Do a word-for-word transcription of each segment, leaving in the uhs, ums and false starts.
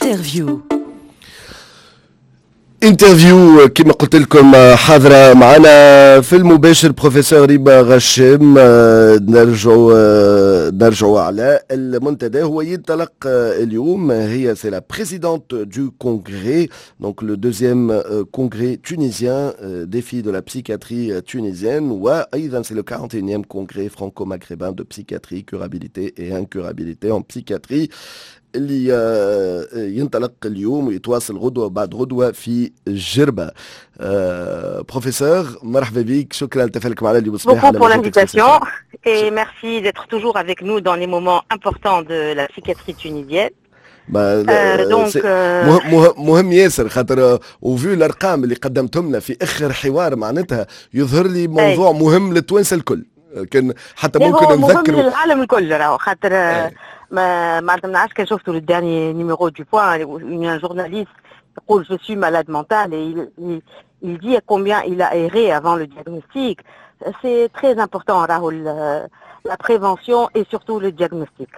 Interview. Interview كما قلت لكم، حاضرة معنا في المباشر بروفيسور ريما غشام. نرجعوا نرجعوا على المنتدى، هو ينطلق اليوم. هي c'est la présidente du congrès, donc le deuxième congrès tunisien, défis de la psychiatrie tunisienne، وايضا c'est le quarante et unième congrès franco-maghrébin de psychiatrie, curabilité et incurabilité en psychiatrie، اللي ينطلق اليوم ويتواصل غدوه بعد غدوه في جربه. بروفيسور، مرحبا بك، شكرا لتفاعلك معنا اليوم الصباح. Beaucoup pour l'invitation et merci d'être toujours avec nous dans les moments importants de la psychiatrie tunisienne. Donc مهم ياسر خاطر au vu الارقام اللي قدمتهم لنا في اخر حوار، معناتها يظهر لي موضوع مهم للتوانسه الكل، كان حتى ممكن نذكر مهم للعالم الكل راهو، خاطر ما ما نعرفش كان شفتوا le dernier numéro du Point, un journaliste يقول je suis malade mental et il, il, il dit combien il a erré avant le diagnostic. C'est très important راهو la prévention et surtout le diagnostic.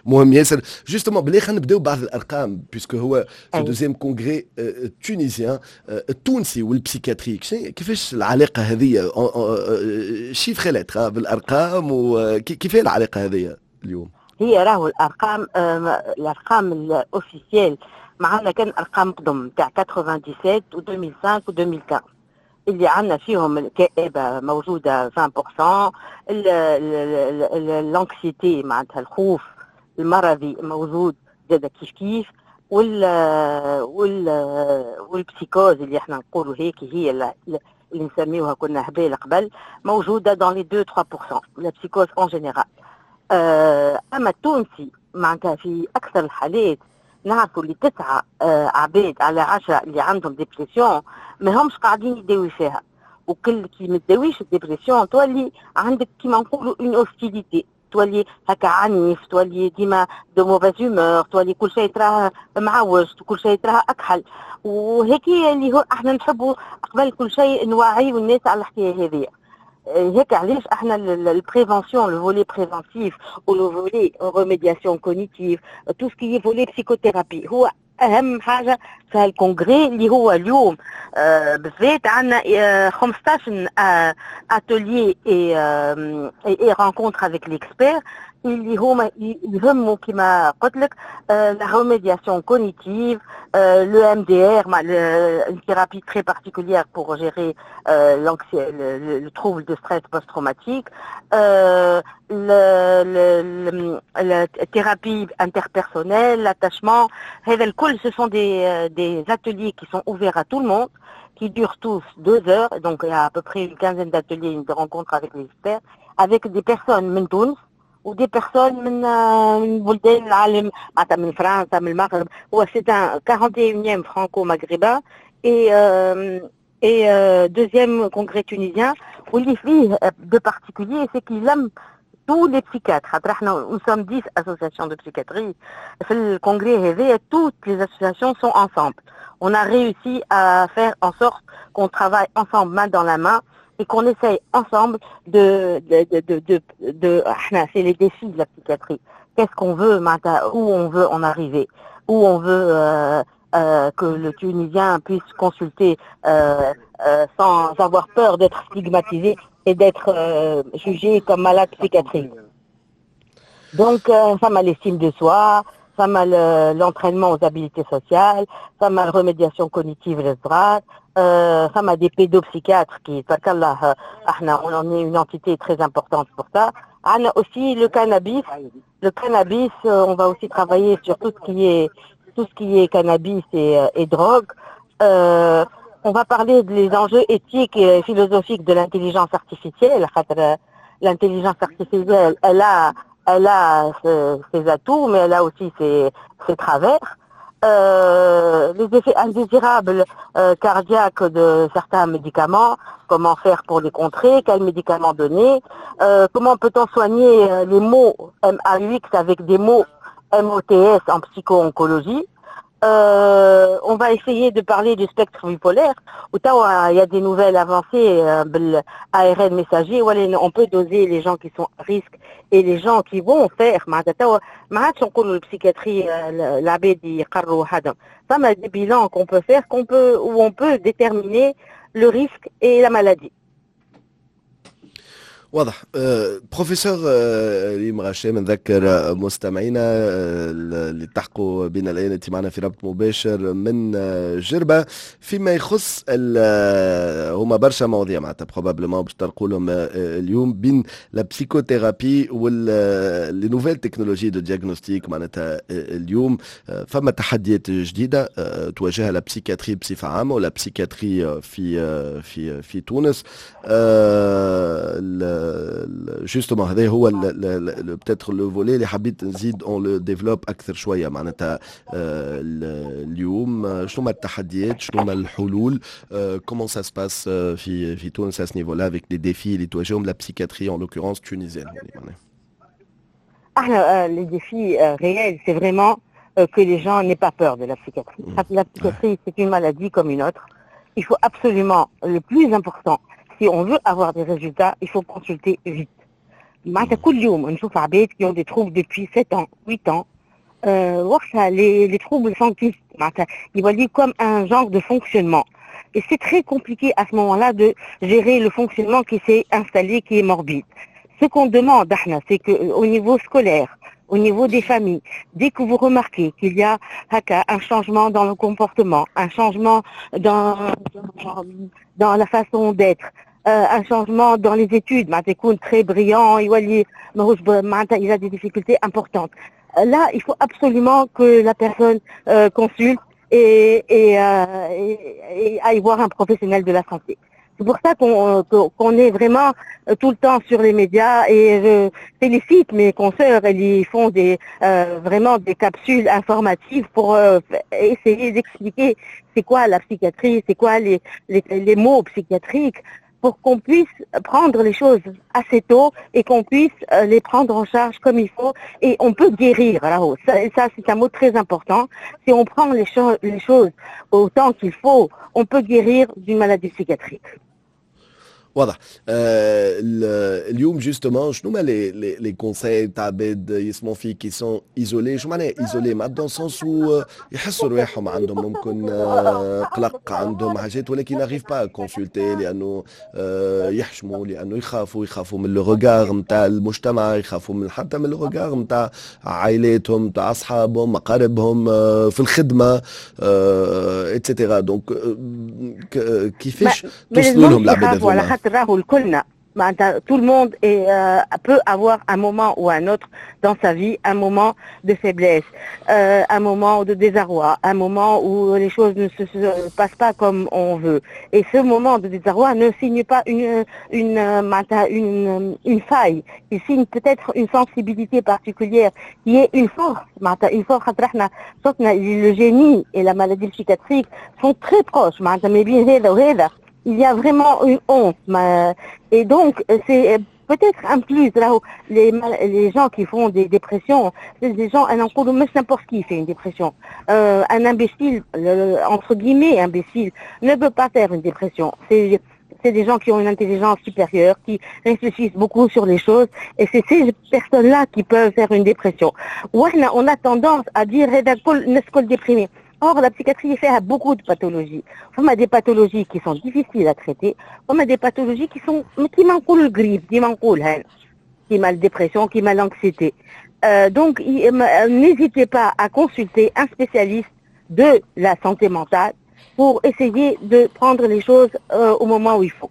مهم ياسر. Justement، بالله خلينا نبداو بعض الارقام puisque هو في deuxième congrès tunisien، التونسي وال psychiatrie كيفاش العلاقه هذه؟ Chiffres, lettres، بالارقام، وكيف العلاقه هذه اليوم؟ هي راهو الارقام الارقام ال officielles معنا كان ارقام قدم تاع سبعة وثمانين و ألفين وخمسة و ألفين وخمسطاش، اللي عندنا فيهم الكآبة موجودة عشرين في المية، l'anxiété معناتها الخوف المرضي موجود زاد كيف كيف، وال وال وال psychose اللي احنا نقولوا هيك هي اللي نسميوها كنا هبال قبل، موجوده dans les deux trois pour cent, la psychose en général. اما التونسي معناتها في اكثر الحالات نعرفوا اللي تسعة آه عباد على عشرة اللي عندهم dépression ما همش قاعدين يداوي فيها، وكل كي ما تداويش ال dépression تولي عندك كيما نقولوا une hostilité، تولي هكا عنيف، تولي ديما de mauvaise humeur، تولي كل شيء تراه معوج، كل شيء تراه اكحل. وهيك اللي هو احنا نحبوا قبل كل شيء نوعيو الناس على الحكايه هذه. هيك علاش احنا ال prévention, le volet préventif و le volet remédiation cognitive, tout ce qui est volet psychothérapie هو اهم حاجه في ال congrès اللي هو اليوم. آه بالذات عندنا آه خمسطاش ateliers et et rencontres avec l'expert اللي هما يهموا كما قلت لك la remédiation cognitive, le E M D R, une thérapie très particulière pour gérer euh, le, le, trouble de stress post-traumatique, euh, le, le, la thérapie interpersonnelle, l'attachement. هذا الكل ce sont des, des ateliers qui sont ouverts à tout le monde, qui durent tous deux heures, donc il y a à peu près une quinzaine d'ateliers, une rencontre avec les experts, avec des personnes من تونس و des personnes من من بلدان العالم، معناتها من فرنسا، من المغرب. هو c'est un quarante et unième franco-maghrébin et et deuxième congrès tunisien، واللي فيه de particulier, c'est qu'il لم tous les psychiatres، خاطر احنا nous sommes dix associations de psychiatrie. في ال congrès هذايا toutes les associations sont ensemble. On a réussi à faire en sorte qu'on travaille ensemble, main dans la main, et qu'on essaye ensemble de, de, de, de, de, de احنا c'est les défis de la psychiatrie. Qu'est-ce qu'on veut, où on veut en arriver, où on veut euh, euh, que le Tunisien puisse consulter euh, euh, sans avoir peur d'être stigmatisé et d'être euh, jugé comme malade psychiatrique. Donc, euh, فما l'estime de soi, فما l'entraînement aux habiletés sociales, فما la remédiation cognitive للصغار, euh, فما des pédopsychiatres qui, احنا on est une entité très importante pour ça. On a aussi le cannabis. Le cannabis, on va aussi travailler sur tout ce qui est tout ce qui est cannabis et, et drogue. Euh, on va parler des enjeux éthiques et philosophiques de l'intelligence artificielle. خاطر l'intelligence artificielle, elle a, elle a ses atouts, mais elle a aussi ses, ses travers. Euh, les effets indésirables euh, cardiaques de certains médicaments, comment faire pour les contrer, quels médicaments donner, euh, comment peut-on soigner les maux M A U X avec des mots M O T S en psycho-oncologie. Euh, on va essayer de parler du spectre bipolaire. وتوا il y a des nouvelles avancées euh, بال A R N messager ولا on peut doser les gens qui sont à risque et les gens qui vont faire. معناتها توا ما عادش نقولوا ال psychiatrie العباد يقروا وحدهم. فما des bilans qu'on peut faire, qu'on peut où on peut déterminer le risque et la maladie. واضح أه، بروفيسور أه، ريم غشام، نذكر مستمعينا أه، اللي التحقوا بنا الان، انت معنا في ربط مباشر من جربه. فيما يخص هما برشا مواضيع معناتها probablement باش تطرقوا لهم اليوم بين la psychothérapie وال les nouvelles technologies de diagnostic. معناتها اليوم فما تحديات جديده تواجهها la psychiatrie بصفه عامه و la psychiatrie في في في تونس. justement هذا هو peut-être le volet اللي حبيت نزيد on le développe اكثر شويه. معناتها اليوم شنو هما التحديات، شنو هما الحلول، comment ça se passe في في تونس à ce niveau-là avec les défis اللي تواجههم la psychiatrie, en l'occurrence tunisienne؟ احنا les défis réels, c'est vraiment que les gens n'aient pas peur de la psychiatrie. Mmh. La psychiatrie, c'est une maladie comme une autre. Il faut absolument, le plus important, si on veut avoir des résultats, il faut consulter vite. معناتها كل يوم نشوف عباد qui ont des troubles depuis sept ans, huit ans. Euh, وقتها les, les troubles s'enquistent, معناتها يولي comme un genre de fonctionnement. Et c'est très compliqué à ce moment-là de gérer le fonctionnement qui s'est installé, qui est morbide. Ce qu'on demande احنا, c'est qu'au niveau scolaire, au niveau des familles, dès que vous remarquez qu'il y a هكا un changement dans le comportement, un changement dans, dans, dans la façon d'être, euh, un changement dans les études, معناتها يكون très brillant, يولي ماهوش معناتها il a des difficultés importantes. Là, il faut absolument que la personne euh, consulte et, et, euh, et, et aille voir un professionnel de la santé. C'est pour ça qu'on qu'on est vraiment tout le temps sur les médias et je félicite mes consoeurs, elles y font des euh, vraiment des capsules informatives pour euh, essayer d'expliquer c'est quoi la psychiatrie, c'est quoi les, les, les maux psychiatriques, pour qu'on puisse prendre les choses assez tôt et qu'on puisse euh, les prendre en charge comme il faut et on peut guérir. Alors, ça, ça c'est un mot très important. Si on prend les, cho les choses au temps qu'il faut, on peut guérir d'une maladie psychiatrique. واضح. آه اليوم justement شنو هما les les les conseils تاع عباد يسمعوا فيك qui sont isolés؟ شو معناها isolés؟ معناتها dans le sens où يحسوا رواحهم عندهم ممكن آه قلق، عندهم حاجات، ولكن n'arrivent pas à consulter لانه آه يحشموا، لانه يخافوا، يخافوا من le regard نتاع المجتمع، يخافوا من حتى من le regard نتاع عائلاتهم، نتاع اصحابهم، اقاربهم، آه في الخدمه، et cetera. donc كيفاش توصلوا لهم العباد هذوما؟ خاطر راهو الكلنا معناتها tout le monde est, euh, peut avoir un moment ou un autre dans sa vie un moment de faiblesse, euh, un moment de désarroi, un moment où les choses ne se, se passent pas comme on veut. Et ce moment de désarroi ne signe pas une, une, معناتها une, une faille, il signe peut-être une sensibilité particulière qui est une force, معناتها une force. خاطر احنا شفنا le génie et la maladie psychiatrique sont très proches. معناتها ما بين هذا وهذا il y a vraiment une honte. Et donc, c'est peut-être un plus. Là, les, les gens qui font des dépressions, c'est des gens, un n'importe qui fait une dépression. Euh, un imbécile, entre guillemets imbécile, ne peut pas faire une dépression. C'est c'est des gens qui ont une intelligence supérieure, qui réfléchissent beaucoup sur les choses, et c'est ces personnes-là qui peuvent faire une dépression. واحنا on a tendance à dire الناس déprimés. Or, la psychiatrie فيها beaucoup de pathologies. فما des pathologies qui sont difficiles à traiter, فما des pathologies qui sont كيما نقولوا la grippe, ديما نقولها، كيما la dépression, كيما l'anxiété. Euh, donc, n'hésitez pas à consulter un spécialiste de la santé mentale pour essayer de prendre les choses euh, au moment où il faut.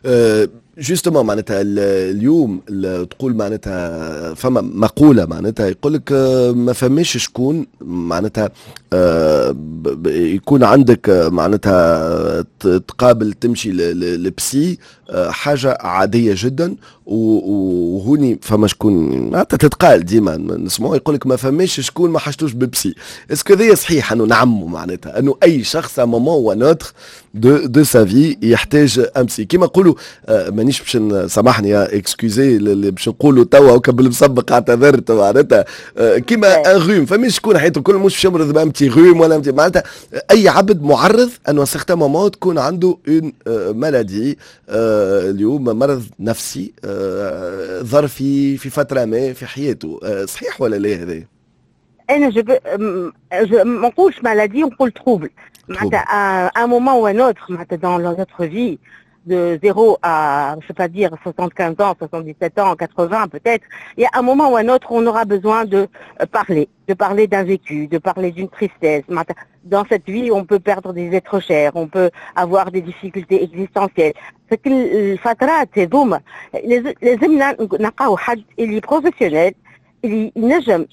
Euh, justement معناتها اليوم تقول معناتها فما مقوله معناتها يقول لك ما فماش شكون معناتها يكون عندك معناتها تقابل تمشي لل psy حاجه عاديه جدا. وهوني فما شكون معناتها تتقال ديما نسمعوا يقول لك ما فماش شكون ما حاجتوش ب psy. est-ce que هذا صحيح انه نعمو معناتها انه اي شخص à un moment ou un autre de de sa vie يحتاج un psy؟ كيما نقولوا ما مانيش باش، سامحني، excusez، اللي باش نقولوا توا وكا بالمسبق اعتذرت، معناتها آه، كيما un rhume، فماش شكون حياته الكل مش باش يمرض ب un petit rhume ولا معناتها اي عبد معرض انه certain moment تكون عنده une maladie، اليوم مرض نفسي آه، ظرفي في فترة ما في حياته. آه، صحيح ولا لا هذا؟ انا je ما نقولش maladie، نقول trouble. معناتها un moment ou un autre معناتها dans notre vie، de zéro à, je ne sais pas dire, soixante-quinze ans, soixante-dix-sept ans, quatre-vingts peut-être, il y a un moment ou un autre où on aura besoin de parler, de parler d'un vécu, de parler d'une tristesse. Dans cette vie, on peut perdre des êtres chers, on peut avoir des difficultés existentielles. الفترات هذوما لازمنا نلقاو حد اللي professionnel، اللي ينجم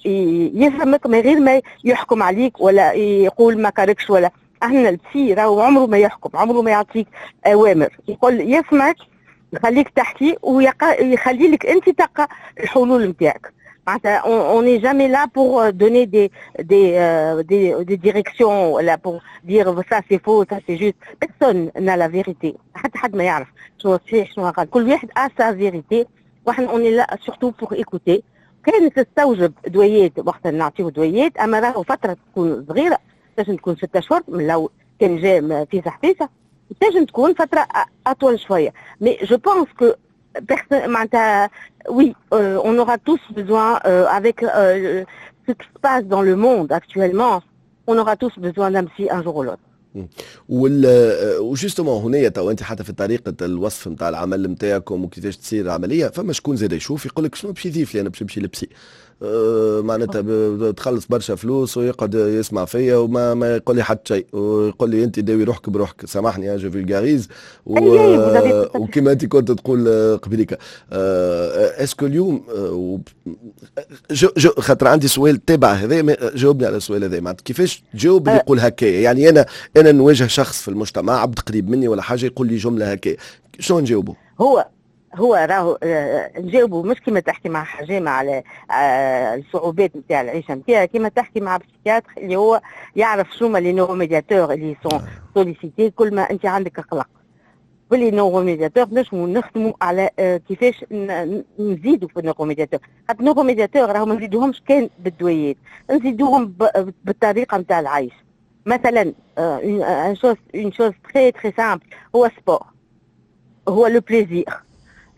يفهمك من غير ما يحكم عليك ولا يقول ما كاركش ولا. احنا ال psy راهو عمره ما يحكم، عمره ما يعطيك اوامر، يقول يسمعك، يخليك تحكي ويخلي لك انت تلقى الحلول نتاعك. معناتها on n'est jamais là pour donner des des euh, des, des directions ولا pour dire ça c'est faux، ça c'est juste. personne n'a la vérité، حتى حد ما يعرف شنو صحيح شنو غلط، كل واحد a sa vérité، واحنا on est là surtout pour écouter. كان تستوجب دويات وقت نعطيه دويات، اما راهو فترة تكون صغيره، تنجم تكون ستة اشهر من لو كان جا في فيسع، تنجم تكون فترة اطول شويه. mais je pense que معناتها oui، euh, on aura tous besoin euh, avec euh, ce qui se passe dans le monde actuellement، on aura tous besoin d'un psy un jour ou l'autre. وال و justement هنا تو انت حتى في طريقه الوصف نتاع العمل نتاعكم وكيفاش تصير العمليه، فما شكون زاد يشوف يقول لك شنو باش يضيف لي انا باش نمشي لل psy؟ آه، معناتها تخلص برشا فلوس ويقعد يسمع فيا وما ما يقول لي حتى شيء ويقول لي انت داوي روحك بروحك، سامحني je vulgarise. و... وكما انت كنت تقول قبليك، est-ce que اليوم je je خاطر عندي سؤال تابع هذا، جاوبني على السؤال هذا، معناتها كيفاش تجاوب اللي يقول هكايا؟ يعني انا انا نواجه شخص في المجتمع، عبد قريب مني ولا حاجه، يقول لي جملة هكايا، شنو نجاوبه؟ هو هو راهو آه، نجاوبه مش كيما تحكي مع حجامة على آه، الصعوبات نتاع العيشة نتاعها، كيما تحكي مع psychiatre اللي هو يعرف شنو هما les neuromédiateurs اللي sont sollicités كل ما انت عندك قلق. ب les neuromédiateurs نجموا نخدموا على آه، كيفاش نزيدوا في ال neuromédiateurs، خاطر ال neuromédiateurs راهو ما نزيدوهمش كان بالدويات، نزيدوهم بالطريقة نتاع العيش. مثلا une chose une chose très très simple هو sport، هو le plaisir.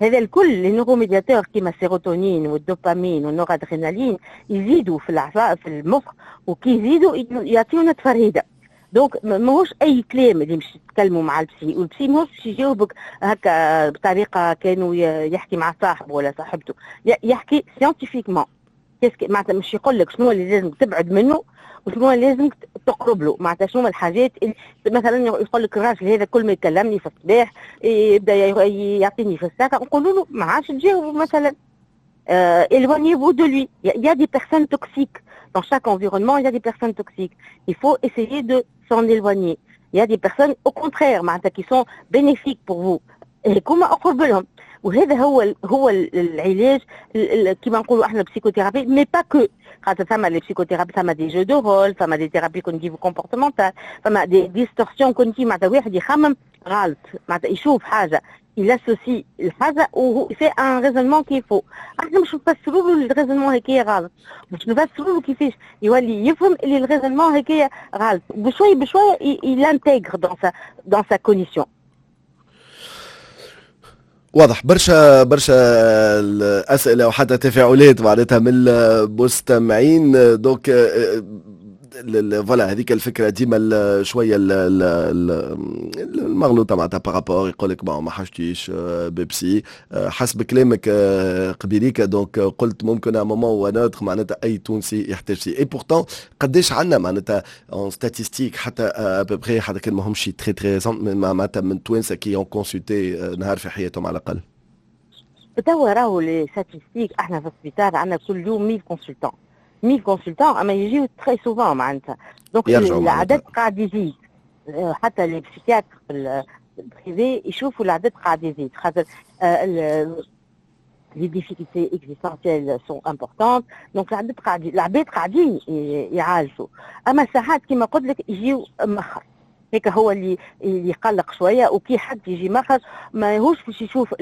هذا الكل les neuromédiateurs كيما السيروتونين والدوبامين والنورادرينالين يزيدوا في الاعصاب في المخ، وكي يزيدوا يعطيونا تفرهيده. donc ماهوش اي كلام اللي مش تتكلموا مع ال psy، وال psy ماهوش باش يجاوبك هكا بطريقة كانوا يحكي مع صاحبه ولا صاحبته، يحكي scientifiquement، معناتها مش يقول لك شنو اللي لازم تبعد منه وشنو لازم تقرب له. معناتها شنو الحاجات اللي مثلا يقول لك الراجل هذا كل ما يكلمني في الصباح يبدا يعطيني في الساقه، نقولوا له ما عادش تجاوب مثلا، éloignez-vous de lui. Il y a des personnes toxiques. Dans chaque environnement, il y a des personnes toxiques. Il faut essayer de s'en éloigner. Il y a des personnes, au contraire، معناتها qui sont bénéfiques pour vous. هكما أقرب لهم. وهذا هو هو العلاج كما نقولوا احنا psychothérapie، mais pas que، خاطر ثما les psychothérapies، ثما des jeux de rôle، ثما des thérapies cognitivo-comportementales، ثما des distorsions cognitives، معناتها واحد يخمم غلط، معناتها يشوف حاجه، il associe الحاجة وهو fait un raisonnement qui est faux. احنا مش نفسروا له ال raisonnement هكايا غلط، مش نفسروا له كيفاش يولي يفهم اللي ال raisonnement هكايا غلط، بشوي بشوي il intègre dans sa dans sa cognition. واضح. برشا برشا الاسئلة وحتى تفاعلات معناتها من المستمعين. donc voilà، هذيك الفكرة ديما شوية المغلوطة معناتها par rapport يقول لك bon ما حاجتيش ب psy. حسب كلامك قبيليك donc قلت ممكن à un moment ou un autre معناتها اي تونسي يحتاج psy، et pourtant قداش عندنا معناتها en statistiques حتى à peu près، حتى كان ماهمش très très معناتها من توانسة qui ont consulté نهار في حياتهم على الاقل؟ توا راهو les statistiques، احنا في السبيطار عندنا كل يوم ألف consultants، ألف consultants، اما يجيو très souvent معناتها، donc العدد قاعد يزيد. حتى les psychiatres في ال privé يشوفوا العدد قاعد يزيد، خاطر les difficultés existentielles sont importantes، donc العدد قاعد، العباد قاعدين يعالجوا، اما ساعات كما قلت لك يجيو مخر. هيك هو اللي اللي يقلق شويه، وكي حد يجي مخر ما يهوش باش يشوف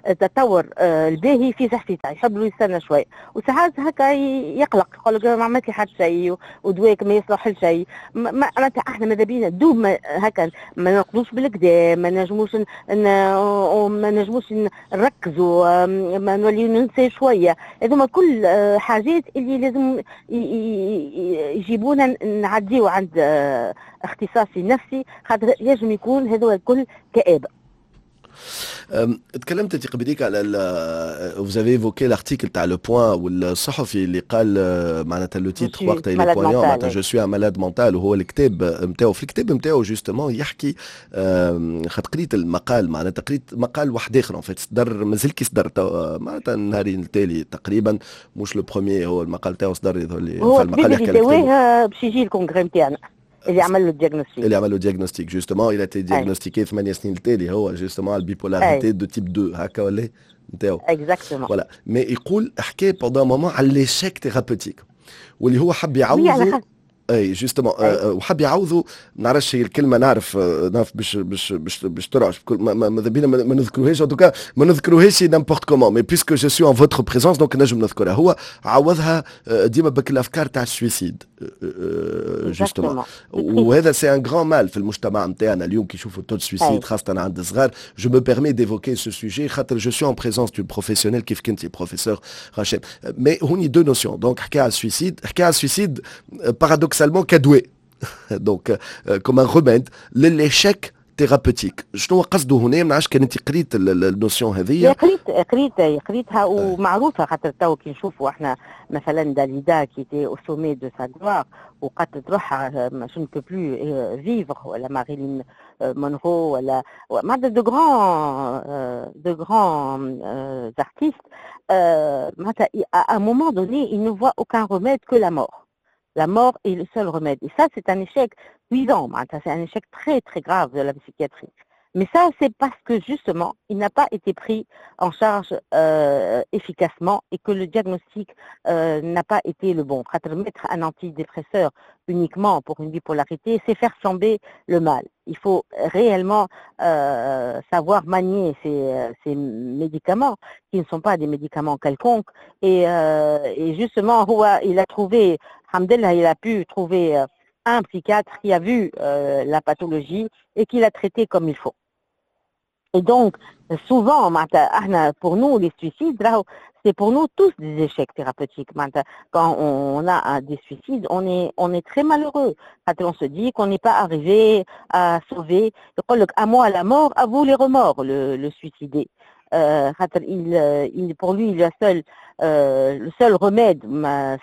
التطور آه، الباهي في صحته، يحب له يستنى شويه، وساعات هكا يقلق، يقول لك ما عملت لي حتى شيء ودواك ما يصلح لشيء. معناتها احنا ماذا بينا دوب ما هكا ما نرقدوش بالقدا، ما نجموش ما نجموش نركزوا، ما نوليو ننسى شويه. هذوما كل آه، حاجات اللي لازم يجيبونا نعديو عند آه، اختصاصي نفسي، خاطر ينجم يكون هذو الكل كآبة. تكلمت انت قبليك على vous avez évoqué l'article تاع Le Point والصحفي اللي قال معناتها le titre وقتها il est poignant، معناتها je suis un malade mental. وهو الكتاب نتاعو، في الكتاب نتاعو justement يحكي، خاطر قريت المقال، معناتها قريت مقال واحد اخر en fait صدر، مازال كي صدر معناتها النهارين التالي تقريبا، مش le premier، هو المقال تاعو صدر يظهر لي. هو المقال يحكي باش يجي ال congrès نتاعنا اللي عمل له ال diagnostic. اللي عمل له diagnostic، justement il a été diagnostiqué ثمانية سنين التالي هو justement ال bipolarité de type deux، هكا ولا نتاعو؟ Exactement. Voilà، mais يقول حكى pendant un moment على l'échec thérapeutique واللي هو حب يعوضه. اي justement، وحب يعوضوا، ما نعرفش هي الكلمه، نعرف نعرف باش باش باش باش ترعش، ماذا بينا ما نذكروهاش، en tout cas ما نذكروهاش n'importe comment، mais puisque je suis en votre présence donc نجم نذكرها. هو عوضها ديما بك الافكار تاع ال suicide justement، وهذا c'est un grand mal في المجتمع نتاعنا اليوم كي يشوفوا taux de suicide خاصه عند الصغار. je me permets d'évoquer ce sujet خاطر je suis en présence d'une professionnelle كيف كنتي بروفيسور رشام. mais هوني deux notions، donc حكى على ال suicide، حكى على ال suicide paradoxalement كدواء، donc comme un remède لل échec thérapeutique. شنو قصده هنا؟ ما نعرفش كان انت قريت ال notion هذه. قريت قريت قريتها ومعروفه، خاطر تو كي نشوفوا احنا مثلا Dalida qui était au sommet de sa gloire وقتلت روحها، je ne peux plus vivre، ولا Marilyn Monroe، ولا معناتها de grands de grands artistes، معناتها à un moment donné ils ne voient aucun remède que la mort. La mort est le seul remède. Et ça, c'est un échec cuisant, c'est un échec très très grave de la psychiatrie. Mais ça, c'est parce que justement, il n'a pas été pris en charge euh, efficacement et que le diagnostic euh, n'a pas été le bon. Mettre un antidépresseur uniquement pour une bipolarité, c'est faire flamber le mal. Il faut réellement euh, savoir manier ces, ces, médicaments, qui ne sont pas des médicaments quelconques. Et, euh, et justement, il a trouvé, الحمد لله, il a pu trouver un psychiatre qui a vu euh, la pathologie et qui l'a traité comme il faut. Et donc, souvent, pour nous, les suicides, c'est pour nous tous des échecs thérapeutiques. Quand on a des suicides, on est, on est très malheureux. On se dit qu'on n'est pas arrivé à sauver. À moi la mort, à vous les remords, le, le suicidé. Euh, il, il, pour lui, le seul, euh, le seul remède,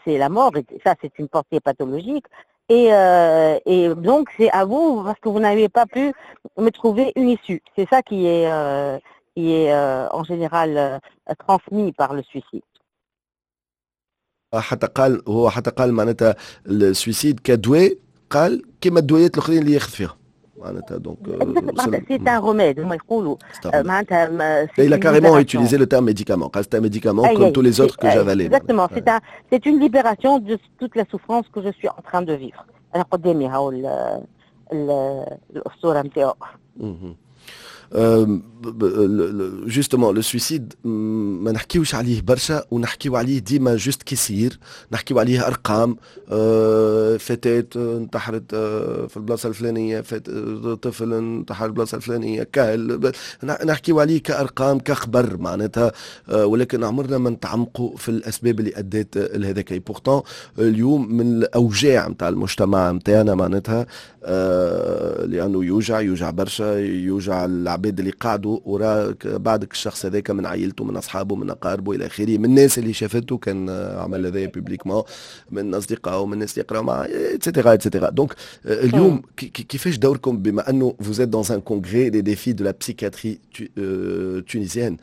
c'est la mort, et ça, c'est une pensée pathologique. Et, euh, et donc, c'est à vous, parce que vous n'avez pas pu me trouver une issue. C'est ça qui est, euh, qui est euh, en général euh, transmis par le suicide. حتى قال هو، حتى قال معناتها ال suicide كدواء، قال كما الدويات الاخرين اللي ياخذ فيها معناتها donc c'est un remède هما يقولوا معناتها. Il a carrément utilisé le terme médicament. C'est un médicament comme tous les autres que j'avalais. Exactement, c'est un, c'est une libération de toute la souffrance que je suis en train de vivre. أنا قدامي هاو الأسطورة نتاعو. Justement le suicide ما نحكيوش عليه برشا ونحكيو عليه ديما juste كي يصير، نحكيو عليه ارقام، فتاة انتحرت في البلاصه الفلانيه، طفل انتحر في البلاصه الفلانيه، كهل نحكيو عليه كارقام كخبر معناتها، ولكن عمرنا ما نتعمقوا في الاسباب اللي ادت لهذاك. pourtant اليوم من الاوجاع نتاع المجتمع نتاعنا معناتها، لانه يوجع، يوجع برشا، يوجع العباد اللي قعدوا وراك بعدك الشخص هذاك، من عائلته، من اصحابه، من اقاربه، الى اخره، من الناس اللي شافته كان عمل هذايا publiquement، من اصدقائه، من الناس اللي يقراو معاه، et cetera et cetera. donc اليوم كيفاش دوركم بما انه vous êtes dans un congrès les défis de la psychiatrie tunisienne،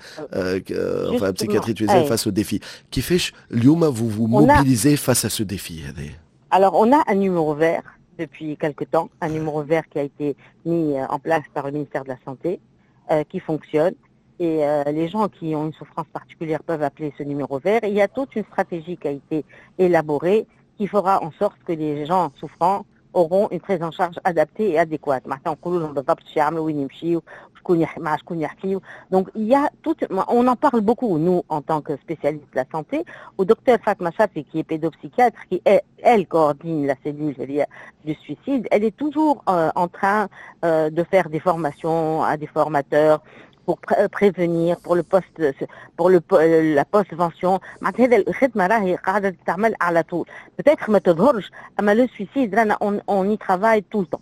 enfin la psychiatrie tunisienne face aux défis، كيفاش اليوم vous vous mobilisez face à ce défi هذا؟ Alors on a un numéro vert depuis quelque temps, un numéro vert qui a été mis en place par le ministère de la Santé, euh, qui fonctionne. Et euh, les gens qui ont une souffrance particulière peuvent appeler ce numéro vert. Et il y a toute une stratégie qui a été élaborée qui fera en sorte que les gens souffrants auront une prise en charge adaptée et adéquate. معناتها نقولوا لهم بالضبط شو يعملوا، وين يمشيوا، شكون يح... مع شكون يحكيوا. Donc il y a tout, on en parle beaucoup, nous, en tant que spécialistes de la santé. و docteur Fatma Chafi, qui est pédopsychiatre, qui elle, elle coordonne la cellule du suicide, elle est toujours euh, en train euh, de faire des formations à des formateurs pour prévenir, pour le post pour le la postvention. معناتها هذا الخدمه راهي قاعده تتعمل على طول. Peut-être ما تظهرش، اما le suicide رانا on, on y travaille tout le temps.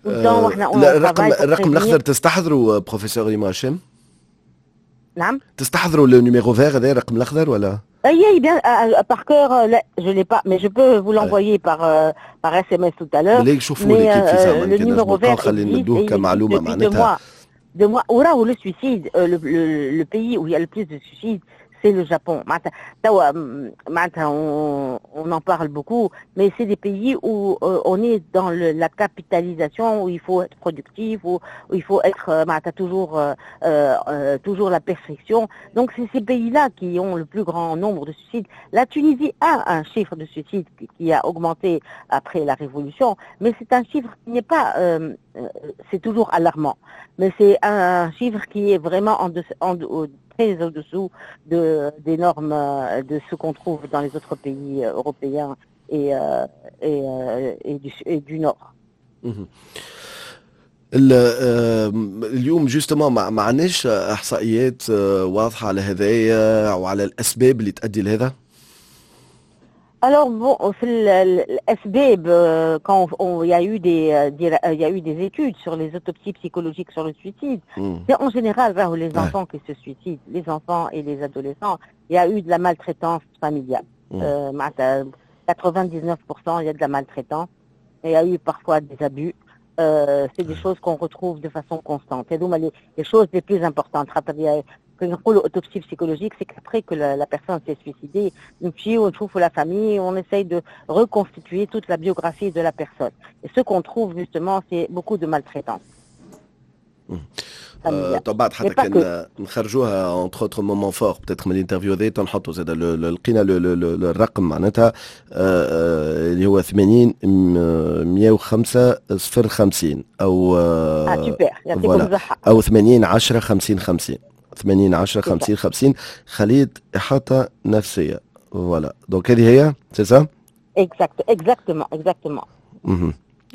لا، الرقم الرقم الاخضر تستحضروا بروفيسور ريما هاشم؟ نعم. تستحضروا le numéro vert هذا، الرقم الاخضر ولا؟ Oui, bien, par cœur, là, je l'ai pas, mais je peux vous l'envoyer par, par S M S tout à l'heure. بالله شوفوا لي كيف. Le numéro vert خلينا ندوه كمعلومه معناتها. Deux mois. وراهو le suicide, le, le, le pays où il y a le plus de suicides, c'est le Japon. معناتها on, on en parle beaucoup, mais c'est des pays où euh, on est dans le, la capitalisation, où il faut être productif, où, où il faut être euh, toujours, euh, euh, toujours la perfection. Donc c'est ces pays-là qui ont le plus grand nombre de suicides. La Tunisie a un chiffre de suicides qui, qui a augmenté après la révolution, mais c'est un chiffre qui n'est pas, euh, c'est toujours alarmant, mais c'est un chiffre qui est vraiment en, de, en, très au-dessous de, des normes de ce qu'on trouve dans les autres pays européens et, et, et, du, et du Nord. اليوم justement ما عندناش احصائيات واضحه على هذايا وعلى الاسباب اللي تؤدي لهذا؟ Alors bon, في الأسباب, quand on, il y a eu des, des, il y a eu des études sur les autopsies psychologiques sur le suicide, mm. c'est en général راهو les enfants ouais. qui se suicident, les enfants et les adolescents, il y a eu de la maltraitance familiale. Mm. Euh, quatre-vingt-dix-neuf pour cent il y a de la maltraitance. Il y a eu parfois des abus. Euh, c'est des choses qu'on retrouve de façon constante. Et donc les, les choses les plus importantes. كي نقولوا autopsie psychologique, c'est qu'après que la, la personne s'est suicidée, نمشيو ونشوفوا la famille, on essaye de reconstituer toute la biographie de la personne. Et ce qu'on trouve justement, c'est beaucoup de maltraitance. آه، بعد حتى كان نخرجوها entre autres moments forts peut-être من l'interview هذا، نحطوا زاد لقينا الرقم معناتها آه، اللي هو ثمانين مية وخمسة صفر خمسين او اه سوبر، يعطيكم الصحة. او ثمانين عشرة خمسين خمسين، ثمانين عشرة خمسين خمسين، خلية إحاطة نفسية. Voilà, donc هذه هي، c'est ça؟ Exact, exactement, exactement.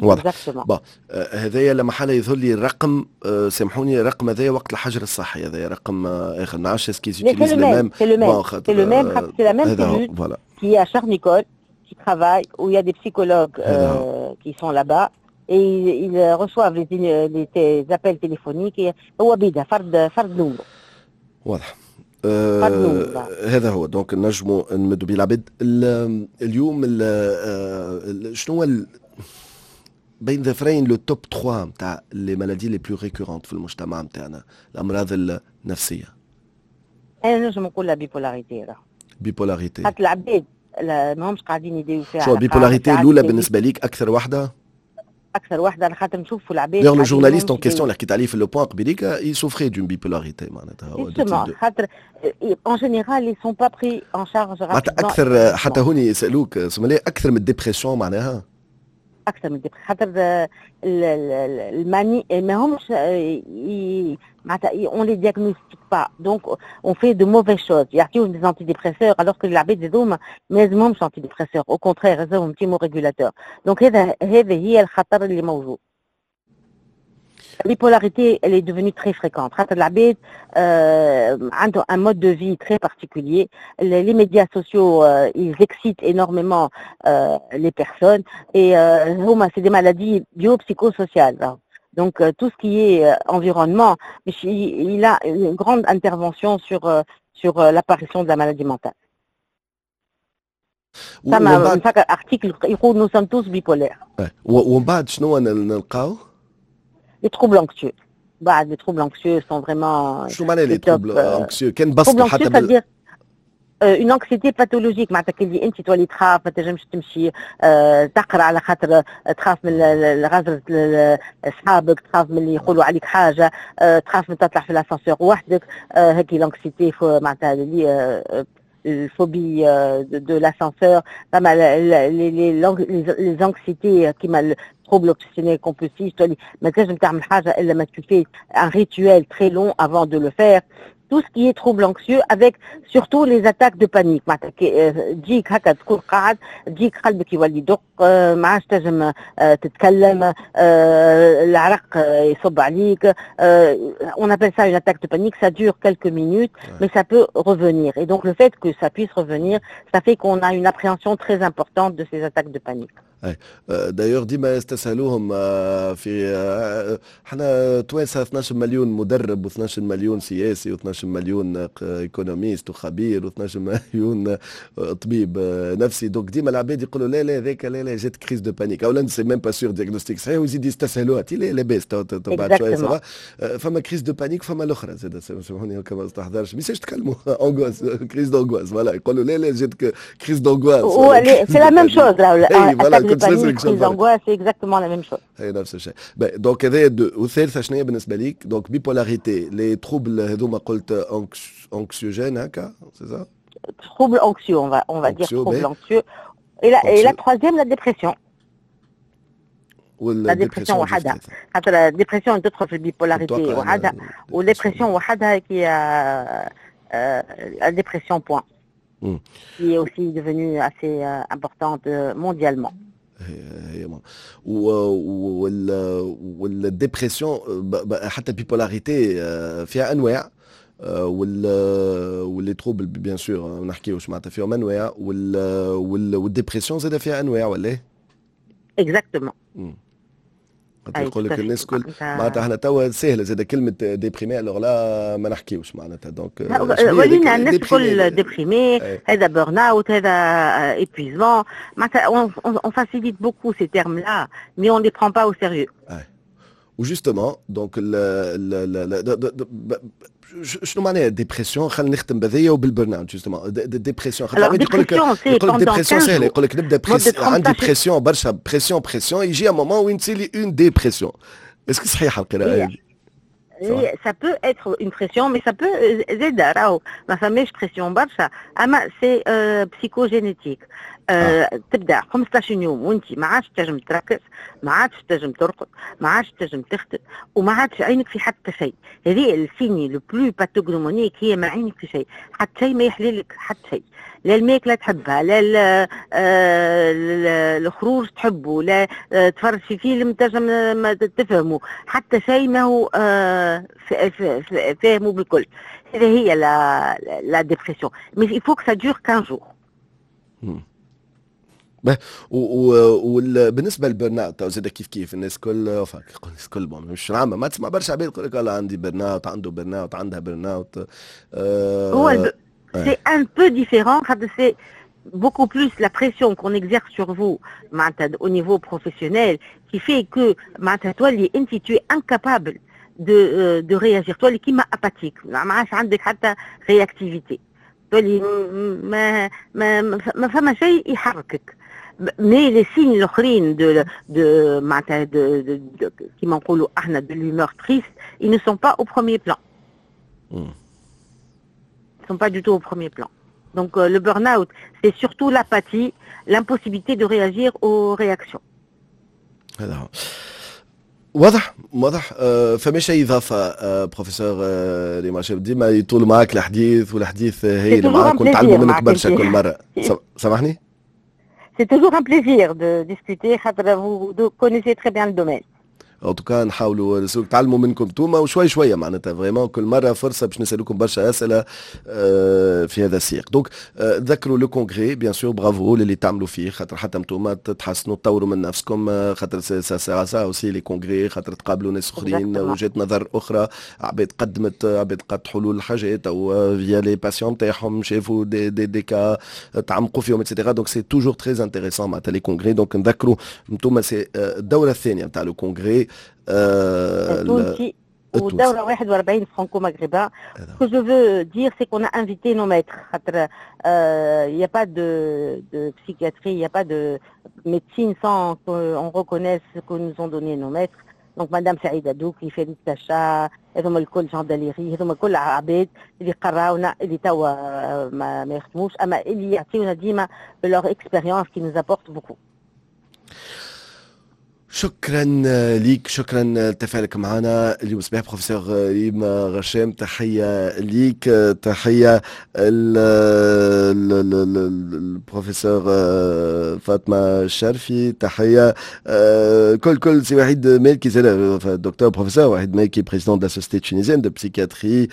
واضح. Bon, هذايا لما حالة يظهر لي الرقم، آه، سامحوني، الرقم هذايا وقت الحجر الصحي، هذايا رقم آه، اخر، ما نعرفش est-ce qu'ils utilisent le même. C'est le même, c'est le même, c'est la même cellule qui est à Charles Nicolle, qui travaille, où il y a des psychologues euh, qui sont là-bas et ils, ils reçoivent les, les, les appels téléphoniques et هو بيدها فرد فرد نومرو. واضح. آه هذا هو، donc نجموا نمدوا بيه العباد اليوم. آه شنو هو بين ظفرين le top ثلاثة نتاع les maladies les plus récurrentes في المجتمع نتاعنا، الامراض النفسيه؟ انا نجم نقول la bipolarité. Bipolarité. خاطر العباد ماهمش قاعدين يداويو فيها. شو bipolarité الاولى بالنسبه ليك اكثر واحده؟ اكثر واحده على خاطر نشوفوا العباد. D'ailleurs, le journaliste en question اللي حكيت عليه في le point قبيليك, il souffrait d'une bipolarité معناتها. Justement, خاطر en général ils sont pas pris en charge. معناتها اكثر، حتى هوني يسالوك سمالي، اكثر من ال dépression معناها؟ اكثر من خاطر ال manie ما همش معناتها on les diagnostique pas, donc on fait de mauvaises choses. يعطيوهم des antidépresseurs alors que العباد هذوما ما لازمهمش antidépresseurs, au contraire لازمهم thymorégulateur. Donc هذا هذا هي الخطر اللي موجود. La bipolarité, elle est devenue très fréquente. خاطر العباد euh, عنده un mode de vie très particulier. Les, les médias sociaux, euh, ils excitent énormément euh, les personnes. Et euh, هما c'est des maladies biopsychosociales, hein. Donc euh, tout ce qui est euh, environnement, il, il a une grande intervention sur, euh, sur euh, l'apparition de la maladie mentale. فما article يقول nous sommes tous bipolaires. ومن بعد شنو نلقاو؟ Les troubles anxieux. بعد les troubles anxieux sont vraiment شو معنى les troubles anxieux؟ كان بسطوا حتى بال une anxiété pathologique، معناتها كي انت تولي تخاف، ما تنجمش تمشي تقرا على خاطر تخاف من غزرة اصحابك، تخاف من اللي يقولوا عليك حاجه، تخاف من تطلع في l'ascenseur وحدك. هكي l'anxiété معناتها اللي ال phobie de l'ascenseur، فما les les anxiétés كيما trouble obsessionnel compulsif، تولي ما تنجم تعمل حاجة الا ما tu fais un rituel très long avant de le faire، tout ce qui est trouble anxieux avec surtout les attaques de panique. معناتها تجيك هكا، تكون قاعد، تجيك قلبك يولي يدق، ما عادش تنجم تتكلم، العرق يصب عليك. on appelle ça une attaque de panique، ça dure quelques minutes mais ça peut revenir et donc le fait que ça puisse revenir، ça fait qu'on a une appréhension très importante de ces attaques de panique. d'ailleurs ديما يستسهلوهم في احنا توانسه، اثنا عشر مليون مدرب وإثنا عشر مليون سياسي وإثنا عشر مليون économiste وخبير وإثنا عشر مليون طبيب نفسي، donc ديما العباد يقولوا لا لا هذاك لا لا جات crise de panique. اولا c'est même pas sûr diagnostic صحيح، ويزيد يستسهلوها، تي لا لاباس بعد شوية ça va. فما crise de panique، فما الاخرى زاد، سامحوني ما استحضرش، ما تكلموا angoisse، crise d'angoisse، voilà، يقولوا لا لا جات crise d'angoisse. c'est la même chose، attaque de panique، crise d'angoisse، c'est exactement la même chose. هي نفس الشيء. donc هذا deux، والثالثة شنو هي بالنسبة ليك؟ donc bipolarité، les troubles هذوما قلت anxiogènes هكا، c'est ça؟ trouble anxieux، on va on va dire trouble anxieux. Et la, et la troisième، la dépression. la dépression وحدها، خاطر la dépression تدخل في ال bipolarité وحدها، وال dépression وحدها qui la dépression point، qui est aussi devenue assez importante mondialement. هي وال وال dépression، حتى ال bipolarité فيها انواع، وال و les troubles bien sûr ما نحكيوش، معناتها فيهم انواع، وال وال dépression زاد فيها انواع ولا ايه؟ exactement. يقول لك الناس كل معناتها احنا توا سهلة زاد كلمة déprimé، alors là ما نحكيوش معناتها donc ولينا الناس الكل déprimé، هذا burn-out، هذا épuisement، معناتها on facilite beaucoup ces termes-là mais on les prend pas au sérieux. و justement donc شنو معناها dépression؟ خلينا نختم بهذيا وبال burn-out justement. dépression، خاطر العباد يقول لك يقول لك dépression سهله، يقول لك نبدا press... عندي pression برشا، pression pression، يجي un moment وين تصير لي une dépression. est-ce que صحيحه القراءة هذه؟ ça peut être une pression، mais ça peut زاد راهو ما فماش pression برشا، اما c'est psychogénétique. آه. تبدا خمسطاش يوم وانت ما عادش تنجم تركز، ما عادش تنجم ترقد، ما عادش تنجم تخدم، وما عادش عينك في حتى شيء. هذه ال signe le plus pathognomonique، هي ما عينك في شيء، حتى شيء ما يحللك، حتى شيء، لا الماكلة تحبها، لا آه، الخروج تحبه، لا آه، تفرج في فيلم تنجم ما تفهمه، حتى شيء ما هو آه، فاهمه بالكل. هذه هي la la dépression، mais il faut que ça dure quinze jours. وبالنسبة لل burn-out زاد كيف كيف، الناس كل الناس كل مش عامه، ما تسمع برشا عباد يقول لك والله عندي burn-out، عنده burn-out، عندها burn-out. آه هو c'est un peu différent، c'est beaucoup plus la pression qu'on exerce sur vous au niveau professionnel qui fait que تولي انت tu es incapable de de réagir، تولي كيما apathique، ما عادش عندك حتى réactivité، تولي ما ما ما فما شيء يحركك. mais les signes الاخرين de de معناتها de, de, de كيما نقولوا احنا de l'humeur triste، ils ne sont pas au premier plan. Ils ne sont pas du tout au premier plan. Donc euh, le burn-out، c'est surtout l'apathie، l'impossibilité de réagir aux réactions. هذا هو، واضح واضح. آه فماش اي اضافه آه بروفيسور آه ريما؟ ديما يطول معك الحديث، والحديث هي معاك ونتعلموا منك برشا كل مره. سامحني. C'est toujours un plaisir de discuter، خاطر vous connaissez très bien le domaine. en tout cas نحاولوا نتعلموا منكم توما وشوي شويه، معناتها vraiment كل مرة فرصة باش نسالوكم برشا اسئلة آه، في هذا السياق. donc آه، ذكروا le congrès bien sûr، bravo للي تعملوا فيه، خاطر حتى انتوما تحسنوا تطوروا من نفسكم، آه، خاطر ça sert à ça aussi les congrès، خاطر تقابلوا ناس اخرين، وجهات نظر اخرى، عباد قدمت، عباد قد حلول الحاجات او via les patients تاعهم شافوا des des des cas تعمقوا فيهم et cetera. donc c'est toujours très intéressant معناتها les congrès. donc نذكروا انتوما c'est الدورة الثانية نتاع le congrès التونسي ودورة واحد وأربعين franco-maghrébin. Ce que je veux dire، c'est qu'on a invité nos maîtres. Il n'y a pas de, de psychiatrie، il n'y a pas de médecine sans qu'on reconnaisse ce que nous ont donné nos maîtres. donc madame سعيدة دوكي، فريد تشا، هذوما الكل، جون داليري، هذوما الكل عباد اللي قراونا، اللي توا ما, ما يخدموش، اما اللي يعطيونا ديما leur expérience qui nous apporte beaucoup. شكرا ليك، شكرا لتفاعلك معنا اليوم صباح بروفيسور ريم غشام. تحية ليك، تحية البروفيسور فاطمة الشرفي، تحية كل كل سي وحيد مالكي، docteur professeur وحيد مالكي، président de la Société tunisienne de psychiatrie،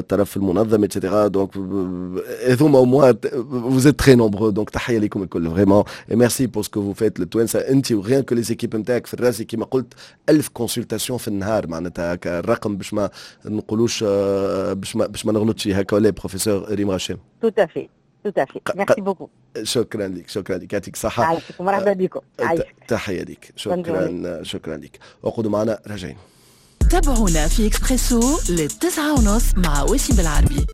طرف المنظمة et cetera. donc هذوما au moins vous êtes très nombreux، donc تحية لكم الكل vraiment et merci pour ce que vous faites للتوانسة، انت و rien que les équipes نتاعك في الرازي. كما قلت ألف consultations في النهار، معناتها هكا الرقم باش ما نقولوش، باش ما باش ما نغلطش، هكا ولا بروفيسور ريم غشام؟ tout à fait، tout à fait، merci beaucoup. شكرا لك، شكرا لك، يعطيك الصحة. عايشك، مرحبا بكم، عايشك. تحية لك، شكرا، شكرا لك. وقعدوا معنا، راجعين. تابعونا في اكسبريسو للتسعة ونص مع وسيم بالعربي.